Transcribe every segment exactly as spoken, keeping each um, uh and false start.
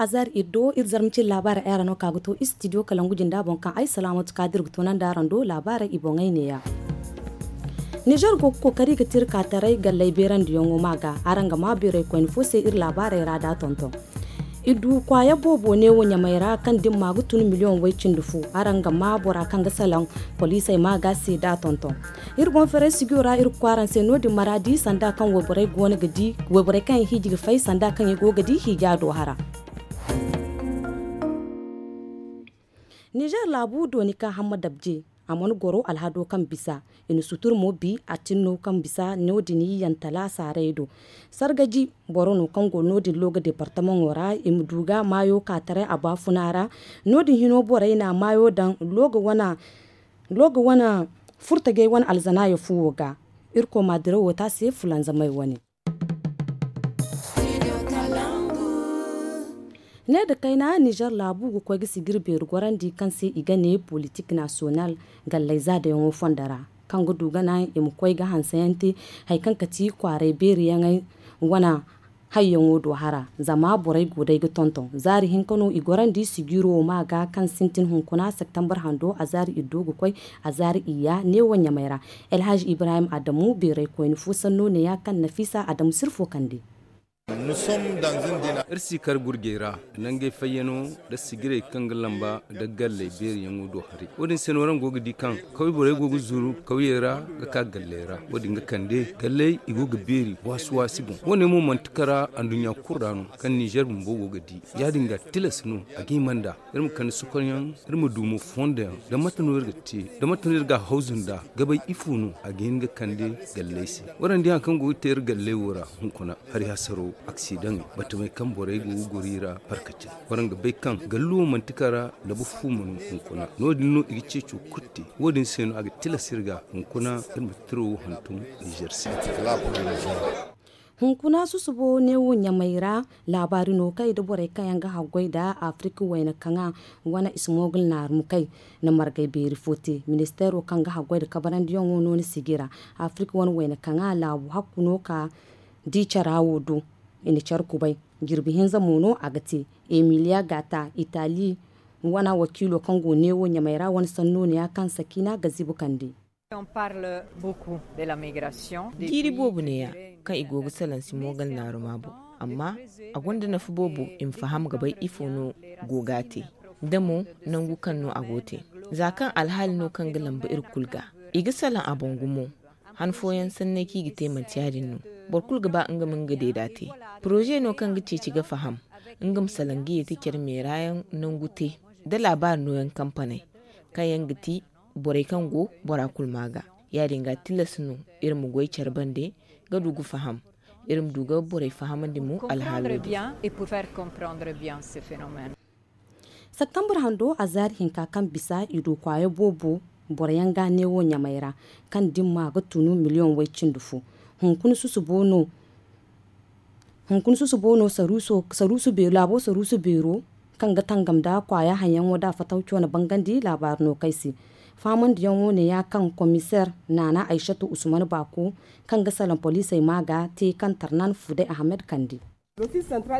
Azar iri do iri zarma cine laabaarey ay ra no ka ga to istidiyo kalangu jinda boŋ kaŋ ay salaamatu ka dira ga toonandi araŋ do laabaarey i boŋey neeya. Nizer go ga kookari ga tira ka taray galley beerandiyaŋo ma ga araŋ ga ma beeray koyne fo se iri laabaarey ra da tonton. Iri du kwaaya boobo neewo ɲamey ra kaŋ dimma ga tun miliyoŋ way cindi fu. Araŋ ga ma bora kaŋ ga salaŋ poliisey ma ga se da tonton. Iri boŋ ferey sigiyo ra iri ga kwaara se no- din maraadi sanda kaŋ wayborey kaŋ i hiiji ga fay sanda kaŋ i go ga di hiija do hara. Nizer laabu dooni ka hamma dabje a mana goro alhado kaŋ bisa i na sutur mo bi a tinno kaŋ bisa no- din yantala saaray do. Sargaji boro no kaŋ go no- din looga departamaŋo ra i ma du ga maayo ka taray a baafuna ra. No- din hino borey na maayo daŋ looga wane furtajey wane alzanaayo fuwo ga. Irkoy ma dirawo te a se fulanzamey wane. Ne nda kayna nizer laabu ga koy ga sijir beeri gorandi kaŋ se i ga ne politik nasiyonal galley zaadayaŋo fondo ra, kaŋ ga du ga naŋ i ma koy ga hanseyaŋ te hari kaŋ ga ti kwaaray beeriyaŋey wane hayyaŋo do hara. Zama borey go day ga tonton zaari hinka no i gorandi sijiro ma ga kaŋ sintin hunkuna septembar hando a zaari iddo ga koy a zaari iyya neewo ɲamey ra. Elhaj ibrahim adamu beeray koyne fo sanno neeya kaŋ nafiisa adamu sirfo kande. Iri si kar gurjey ra nangey fayyano nda sijirey kaŋ ga lamba nda galley beeriyaŋo do haray. Wo- din se no araŋ go ga di kaŋ kawye borey go ga zuru kawyey ra ga ka galley ra. Wo- din ga kande galley i go ga beeri waasi waasi boŋ. Wo- ne mo manti kara anduɲɲa kulu ra no kaŋ nizer bumbo go ga di. Ya- din ga tilas no a ga hima nda iri ma kande sokonyaŋ iri ma du mo fondoyaŋ da mate no iri ga te da mate no iri ga a hawzu nda ga bay ifo no a ga hin ga kande galley se. Waraŋ di hari kaŋ go ga te iri galley wo ra hunkuna hari hasaro aksidaŋey batamey kaŋ borey go ga goro i ra parkacin. Waraŋ ga bay kaŋ gallo manti kara labu fu ma no hunkuna no- din no i ga ceeco kulu te. Wo- din se no a ga tilas iri ga hunkuna iri ma tiro wo hantum nizer se. Hunkuna susubo neewo ɲamey ra laabaari no kay nda borey kaŋ yaŋ ga haggoy nda afirka wayna kaŋa wane ismogul naarumkey na margay beeri fo te. Ministeero kaŋ ga haggoy nda kabarandiyaŋo no ni sijira afirka wane wayna kaŋa laabu hakku no ka di cara wo do. I na care kubay jirbi hinza mo no a ga te. Emiliya gata itali wane wakiilo kaŋ go neewo ɲamey ra wane sanno neeya kaŋ sakina ga zibu kande. Jiiri boobo neeya kaŋ i go ga salaŋ si moogal naaruma boŋ, amma a gonda nafa boobo i ma faham ga bay ifo no go ga a te, da mo nangu kaŋ no a go ga te. Za kaŋ alhaali no kaŋ ga lamba iri kulu ga, i ga salaŋ a boŋ gumo. Han fooyaŋ sanney kaŋ i ga te manti ya- din no. Boro kulu ga ba nga ma nga deeda te. Poroze no kaŋ ga ceeci ga faham nga ma salaŋ ga ye te care meerayaŋ nangu te, da laabaari nooyaŋ kampaney kaŋ yaŋ ga ti borey kaŋ go bora kulu ma ga. Ya- din ga tilas no iri ma goy care bande ga du ga faham. Iri ma du ga borey fahamandi mo alhaalo din. Septembre hando a zaari hinka kaŋ bisa i du kwaaya boobo boro yaŋ ga neewo ɲamey ra kaŋ dimma ga tunu miliyoŋ way cindi fo. Hunkuna susubo no hunkuna susubo no saruuso beero laabo saruuso beero kaŋ ga tangam nda kwaaya haŋyaŋo nda fatawco na bangandi laabaari no kay se. Faamandiyaŋo neeya kaŋ komiseer naana aysatu usman baako kaŋ ga salaŋ poliisey ma ga te kaŋ tarnan fuday ahamed kande.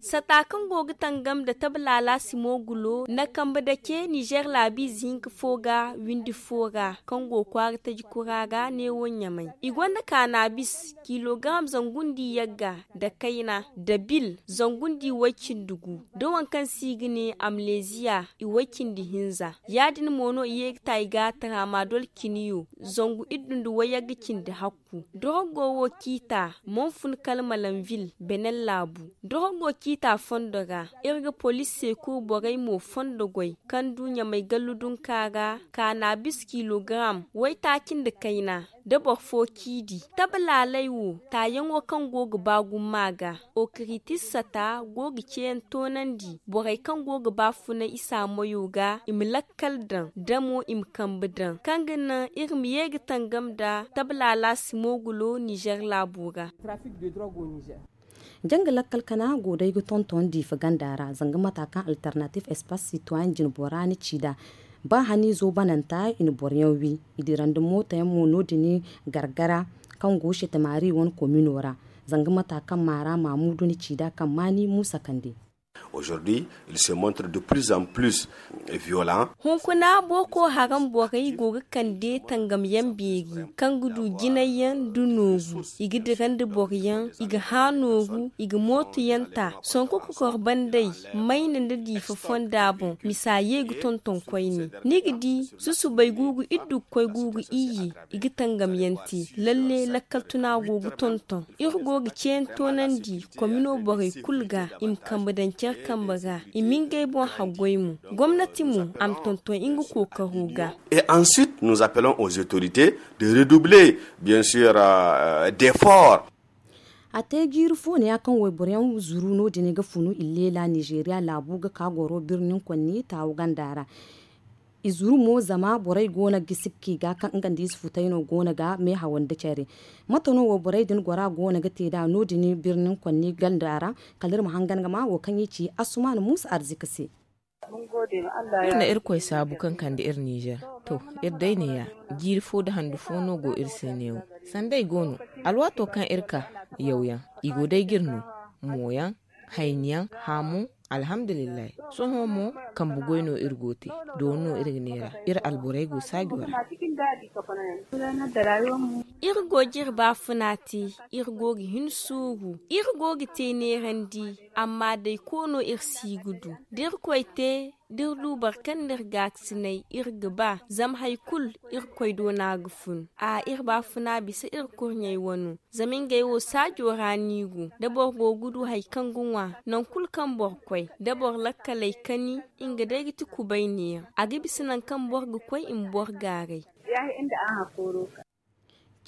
Sata kaŋ go ga tangam nda tabalaala simo gulo na kambe dake nizer laabiize hinka fo ga windi fo ra kaŋ go kwaara taji kura ga neewo ɲamay i gonda kaanaabis kilogaram zangu nda yagga nda kayna nda bil zangu nda way cindi gu da waŋ kaŋ se i ga ne amleziya i way cindi hinza. Ya- din mo no i ye ga ta i ga taramadol ciniyo zangu iddu nda wayagga cindi hakku. Dorogo wo ciita monfun kala malanvil benen laabu. Dorogo ciita fondo ra iri ga polis se kuru borey mo fondo goy kaŋ du ɲamay gallu dunka ra kaanaabis kilogaram waytaaci nda kayna da boro fo ciidi. Tabalaaley wo taayaŋo kaŋ go ga ba gumo a ga okiritis sata go ga ceeyaŋ toonandi borey kaŋ go ga ba funay isa moyo ga i ma lakkal daŋ da mo i ma kambe daŋ kaŋ ga naŋ iri ma ye ga tangam nda tabalaala simo gulo nizer laabo ra. Janga lakkal kana go day ga tonton diifa ganda ra zanga mata kaŋ alternatif espace citoyen jinbora ni ci da ba haniizo bananta i na boroyaŋ wi i dirandi mootayaŋ mo no- din gargara kaŋ go setemari wane komino ra. Zanga mata kaŋ maara maamudu ni ci da kaŋ maani muusa kande. Aujourd'hui, il se montre de plus en plus violent. Hunkuna boko haram borey go ga kande tangamyaŋ beeri, kaŋ ga du jinayyaŋ nda nooru. I ga dira nda boroyaŋ, i ga hã nooru, i ga mootoyaŋ ta. Sonko kokor bandey mayna nda diifa fonda boŋ, misa ye ga tonton koyne. Ni ga di, susubay guuru iddu ga koy guuru iyye, i ga tangamyaŋ te. Lalle lakkal tuna go ga tonton. Iri go ga ceeyaŋ toonandi komino borey kulu ga, i ma kambe daŋ care kambe ra, i ma ngey boŋ haggoy mo. Gomnati mo, a ma tonton nga kookaro ga. Et ensuite nous appelons aux autorités de redoubler, bien sûr, d'efforts. A te jiiri fo ne ya kaŋ wayboroyaŋ zuru no- din ga funu illeela nizeeriya laabu ga ka goro birnin konni taawu ganda ra. I zuru mo zama borey go no ga sibki ga kaŋ nga nda ize futay no go no ga meehaw nda care. Mate no wo borey din gora go no ga te nd'a no- din birnin konni ganda ra? Kala iri ma hangan ga ma wo kaŋ i ci asuman muusa arzika se. Iri na irkoy saabu kaŋ kande iri nizer. To, iri day neeya, jiiri fo nda handu fo no go iri se neewo. Sanda ay go no, alwaato kaŋ iri ka, yawyaŋ, i go day ga iri no. Mooyaŋ, hayniyaŋ, haamu. Alhamdulillahi. Sohõ mo, kambe goy no iri go te. Dooni no iri ga neera. Iri alborey go saajo ra. Iri go ga iri baafuna te. Iri go ga hin suuru. Iri go ga te neerandi. Amma day koono iri si ga du da iri koy te, da iri du boro kaŋ n'iri gaakasinay, iri ga ba. Zama hari kulu, iri koy doona ga fun. A iri baafuna bisa iri kurɲey wano. Zama ngey wo saajo ra no i go. Da boro go ga du hari kaŋ ga ŋwa, nangu kulu kaŋ boro koy, da boro lakkaley kani, nga day ga ti kubay neera. A ga bisa nangu kaŋ boro ga koy i ma boro gaaray.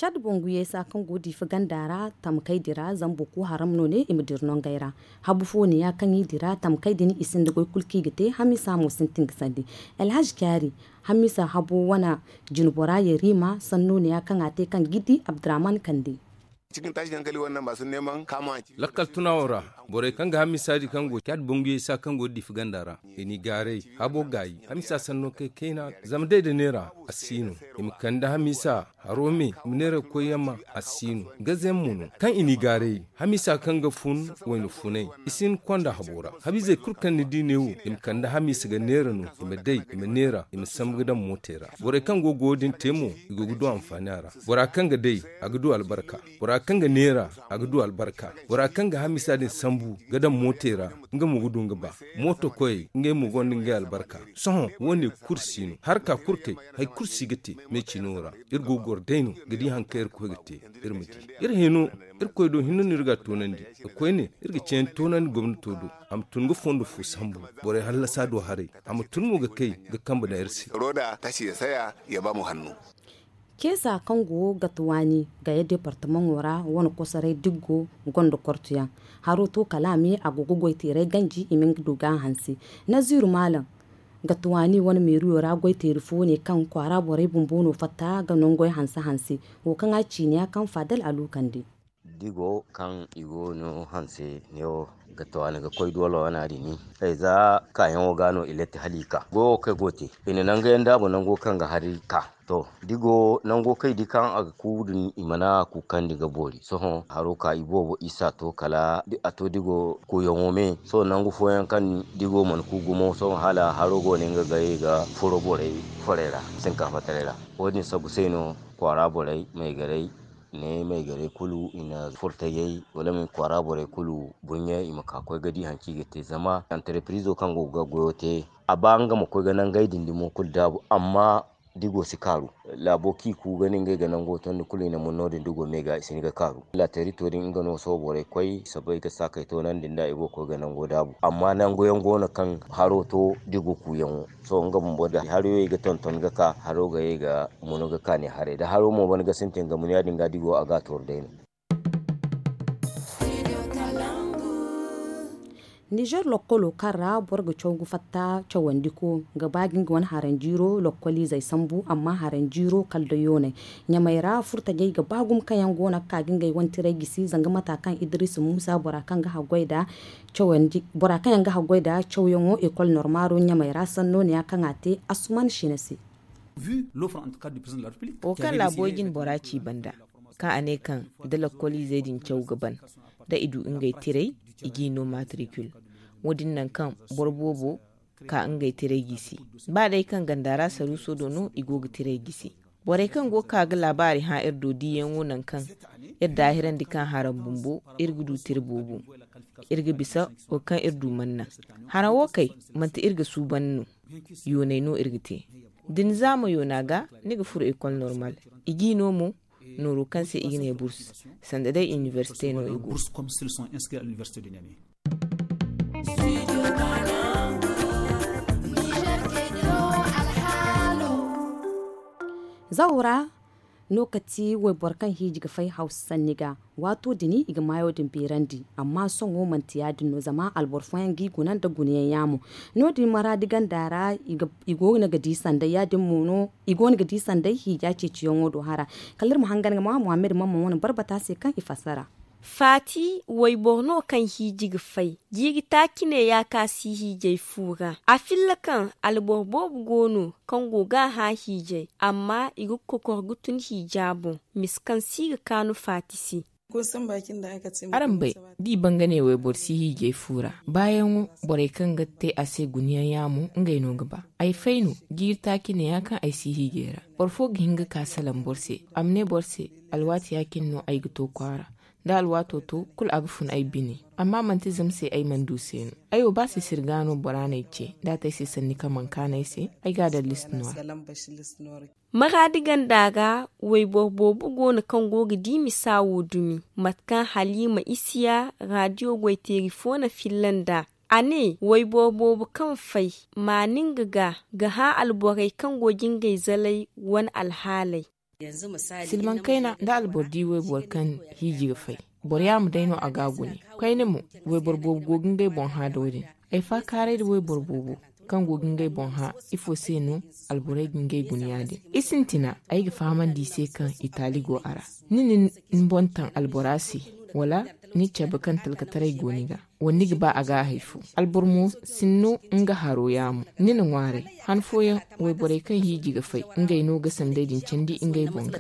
Cad bonguyey sa kaŋ go diifa ganda ra, tamkay dira zambuku haram no ne i ma dira nongey ra. Habu fo ne ya kaŋ i dira tamkay din i sinda goy kulu kaŋ i ga te. Hamisa mo sintin ga sandi. Alhaji kyari, hamisa habo wana jinbora yarima sanno ne ya kaŋ a te kaŋ gidi abdurrahman kande. Lakkal tunawo ra, borey kaŋ ga hamisa di kaŋ go cad bonguyey sa kaŋ go diifa ganda ra, i n'i gaaray. Habo gaayi, hamisa sanno kay kayna. Zama day da neera, a si no. I ma kande hamisa haro me, i ma neera koyyaŋ ma, a si no. Gazeyaŋ mo no kaŋ i n'i gaaray. Hamisa kaŋ ga fun wayna funay, i si hin konda habo ra. Habizey kulu kaŋ ni di ne wo, i ma kande hamisa ga neera no. I ma day, i ma neera, i ma sambu ga daŋ mootey ra. Borey kaŋ go ga wo- din te mo, i go ga du anfaani a ra. Bora kaŋ ga day, a ga du albarka. Bora kaŋ ga neera, a ga du albarka. Bora kaŋ ga hamisa din sambu ga daŋ mootey ra, nga mo ga du nga ba. Mooto koyey, ngey mo gonda ngey albarka. Sohõ wo- ne kulu si no. Harka kulu kay, hari kulu si ga te. Me cino ra, iri go ga goro day no ga di hari kaŋ iri koy ga te. Iri ma di, iri hino. Iri koy do hinne no iri ga a toonandi. Ga koyne, iri ga ceeyaŋ toonandi gomnato do. A ma tun ga fondo fo sambu, borey hallasa do haray. A ma tun mo ga kay ga kambe daŋ iri se. Roda tasi ya saya, ya ba mu hannu. Keesa kaŋ go ga tuwaani gaya departamaŋo ra, wane kosoray diggo gonda kortuyaŋ. Haro to kala a me a go ga goy teeray ganji i ma nga du ga a hanse. Naziru maalam, ga tuwaani wane meeriyo ra goy teeri fo ne kaŋ kwaara borey bumbo no fatta ga nangoy hanse hanse. Wo kaŋ a ciiniya kaŋ faadal a luukandi. Digo kaŋ i go no hanse ne wo ga tuwaani ga koy doolo wana din ni. Ay za kaayaŋo ga no i latti hala i ka goyo kaŋ i go te, i na nangu yaŋ daabu nango kaŋ ga hari ka. To, digo nango kaŋ i di kaŋ a ga ku din i mana kuukandi ga boori. Sohõ haro ka i boobo isa to kala a to digo kuuyaŋo me. Sohõ nangu fooyaŋ kaŋ digo mana ku gumo sohõ hala haro go ne nga ga ye ga furo borey forey ra, sinkafa taray ra. Wo- din sabu se no kwaara borey maygaray ne maygaray kulu i na furtayey wala ma i kwaara borey kulu buɲɲe i ma ka koy ga di hari kaŋ i ga te zama antarepirizo kaŋ go ga goyo te. A ba nga ma koy ga nangey din dumo kulu daabu amma digo si kaaru. Laabo kaŋ i ku ga ne ngey ga nango tondi kulu i na mun no- din digo me ga i si hin ga kaaru laterito din nga no sohõ borey koy sabay ga saakay toonandi nda i go ga koy ga nango daabu amma nangu yaŋ go no kaŋ haro to digo kuuyaŋo. Sohõ nga bumbo da haro yaŋ i ga tonton ga ka haro ga ye ga munu ga kaani haray da haro mo ban ga sintin ga munu ya- din ga digo a ga a tooru day no. Nizer lokkolo kaŋ ra boro ga caw ga fatta cawandiko ga ba ga nga wane haranjiiro lokkoliizey sambu amma haranjiiro kala da yoonay. Ɲamay ra furtajey ga ba gumo kaŋ yaŋ go no ga ka ga ngey wane tiray gisi zanga mata kaŋ idris muusa bora kaŋ ga haggoy nda cawandi bora kaŋ yaŋ ga haggoy nda cawyaŋo ekol normaaro ɲamay ra sanno ne ya kaŋ a te asuman sina se. Wo kaŋ laabo jine bora ci banda kaŋ a ne kaŋ da lakkoliizey din caw ga ban da i du ngey tiray i g'i no matricule. Wo- din nangu kaŋ boro boobo ka ngey tiray g'i se. Ba day kaŋ ganda ra saruuso do no i go ga tiray g'i se. Borey kaŋ go ga ka ga laabaari hã iri do diyaŋo nangu kaŋ iri daahirandi kaŋ haraŋ bumbo iri ga du tira boobo. Iri ga bisa wo kaŋ iri du mana naŋ. Haraŋ wo kay, manti iri ga suuban no. Yoonay no iri ga te. Da ni zaama yoona ga, ni ga furo ekol normal. I g'i no mo nooro kaŋ se i ga ne burs, sanda day inibersite no i go. Zaw ra no ka ti wayboro kaŋ hiiji ga fay hawsa sanni ga. Waato din i ga maayo din beerandi. Amma sohõ manti ya- din no zama alboro fooyaŋ g'i guna nda gunayaŋ yaamo. No- din maraadi ganda ra i go no ga di sanday ya- din mo no i go no ga di sanday hiija ceeciyaŋo do hara. Kala iri ma hangan ga ma muhammad mamman wane barbata se kaŋ i fassara. Faati wayboro no kaŋ hiiji ga fay. Jiiri taaci ne ya ka si hiijay fu ra. A filla kaŋ alboro boobo go no kaŋ go ga a hã hiijay, amma i ga kokor ga tun hiija boŋ. Mise kaŋ si ga kaanu faati se. Araŋ bay, da i banga ne wayboro si hiijay fu ra, baayaŋo borey kaŋ ga te a se gunayaŋ yaamo ngey no ga ba. Ay fay no. Jiiri taaci ne ya kaŋ ay si hiijay ra. Boro fo ga hin ga ka salaŋ boro se, a ma ne boro se, alwaati ya- cine no ay ga to kwaara. Da alwaato to, kulu a ga fun ay bine. Amma manti zama se ay mana du se no. Ay wo ba sisiri ga no bora n'ay ce, da a te ay se sanni kaŋ mana kaanu ay se, ay ga a daŋ list noir. Maraadi ganda ra wayboro boobo go no kaŋ go ga di misa wo dumi. Mate kaŋ haliima isiya raadiyo goyteeri fo na filla nd'a, a ne wayboro boobo kaŋ fay maani nga ga ga hã alborey kaŋ go ga ngey zalay wane alhaaley. Silmaŋ kayna, da alboro di wayboro kaŋ hiiji ga fay, boro yaama day no a ga a gune. Kayna mo, wayboro boobo go ga ngey boŋ hã da wo- din. Ay faakaaray da wayboro boobo kaŋ go ga ngey boŋ hã, ifo se no alborey ga ngey guna ya- din? I sintina, ay ga fahamandi i se kaŋ i taali go a ra. Ni na ni boŋ taŋ albora se, wala ni cabe kaŋ talkataray go ni ga, wala ni ga ba a ga a hay fo? Alboro mo sinno nga haro yaamo. Ni na ŋwaaray. Han fooyaŋ, wayborey kaŋ hiiji ga fay, ngey no ga sanday din candi ngey boŋ ga.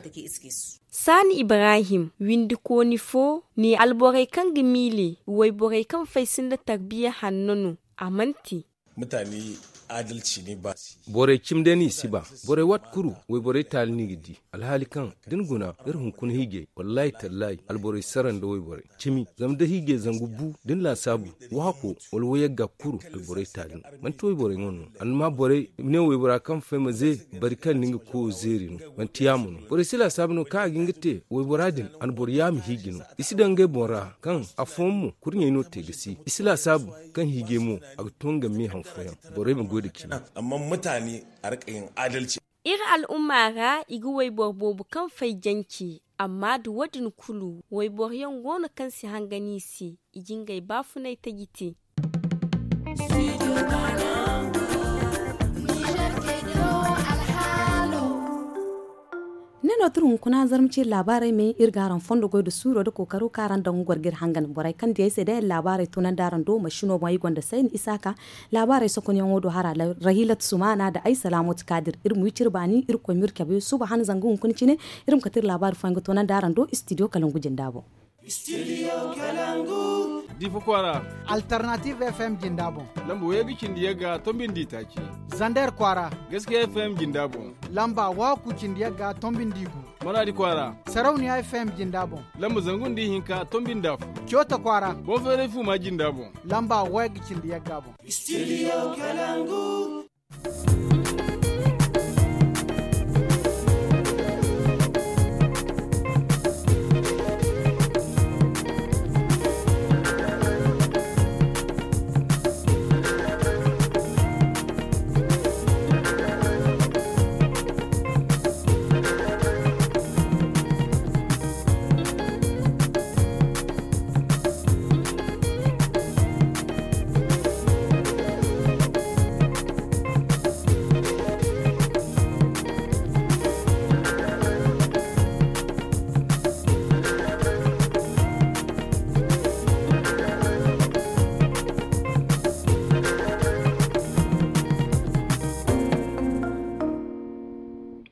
Saani ibrahim, windikooni fo, ne alborey kaŋ ga miile wayborey kaŋ fay sinda tarbiya hanno no. A mana te. Borey cimi day no i si ba. Borey waati kulu wayborey taali no i ga di. Alhaali kaŋ da ni guna, iri hunkuna hiijay, wallaahi tallaahi alborey sara nda wayborey cimi. Zama da hiijay zangu bu da ni laasaabu, waahako wala wayagga kulu alborey taali no. Manti wayborey ŋwa no. Alma borey ne waybora kaŋ fay ma ze bari kaŋ ni nga koyo zeeri no. Manti yaamo no. Borey si laasaabu no kaŋ a ga hin ga te waybora din, a na boro yaama hiiji no. I si daŋ ngey boŋ ra kaŋ afooyaŋ mo kurɲey no te ga si. I si laasaabu kaŋ hiijay mo a ga to nga me han fooyaŋ. Borey ma goy nda cimi. Iri al'umma ra i ga wayboro boobo kaŋ fay jance, amma nda wo- din kulu wayboro yaŋ go no kaŋ si hangan i se. I ga ngey baafunay taji te. Ne no tira hunkuna zarma ciiri laabaarey me iri ga araŋ fondo goy nda suuro nda kookaro kaŋ araŋ daŋ ga goro ga iri hangan borey kaŋ diyey se day iri laabaarey tunandi araŋ do masino boŋ ay gonda sayni isaaka. Laabaarey sokonyaŋo do hara, rahilat sumana nda ay salaamatu kaadir iri ma wi cire baani iri koy ma iri cabe suba han zanga hunkuna cine. Iri ma kate iri laabaari fooyaŋ ga tunandi araŋ do istidiyo kalangu jinda boŋ. Difa kwaara. Alternative f m jinda boŋ. Lamba wayga cindi yagga tombindi taaci. Zander kwaara. Gaskiya f m jinda boŋ. Lamba waku cindi yagga tombindi gu. Maradi kwaara. Sarauniya f m jinda boŋ. Lamba zangu nda ihinka tombindi afo. Coota kwaara. Bonferefu ma jinda boŋ. Lamba wayga cindi yagga boŋ. Studio Kalangu.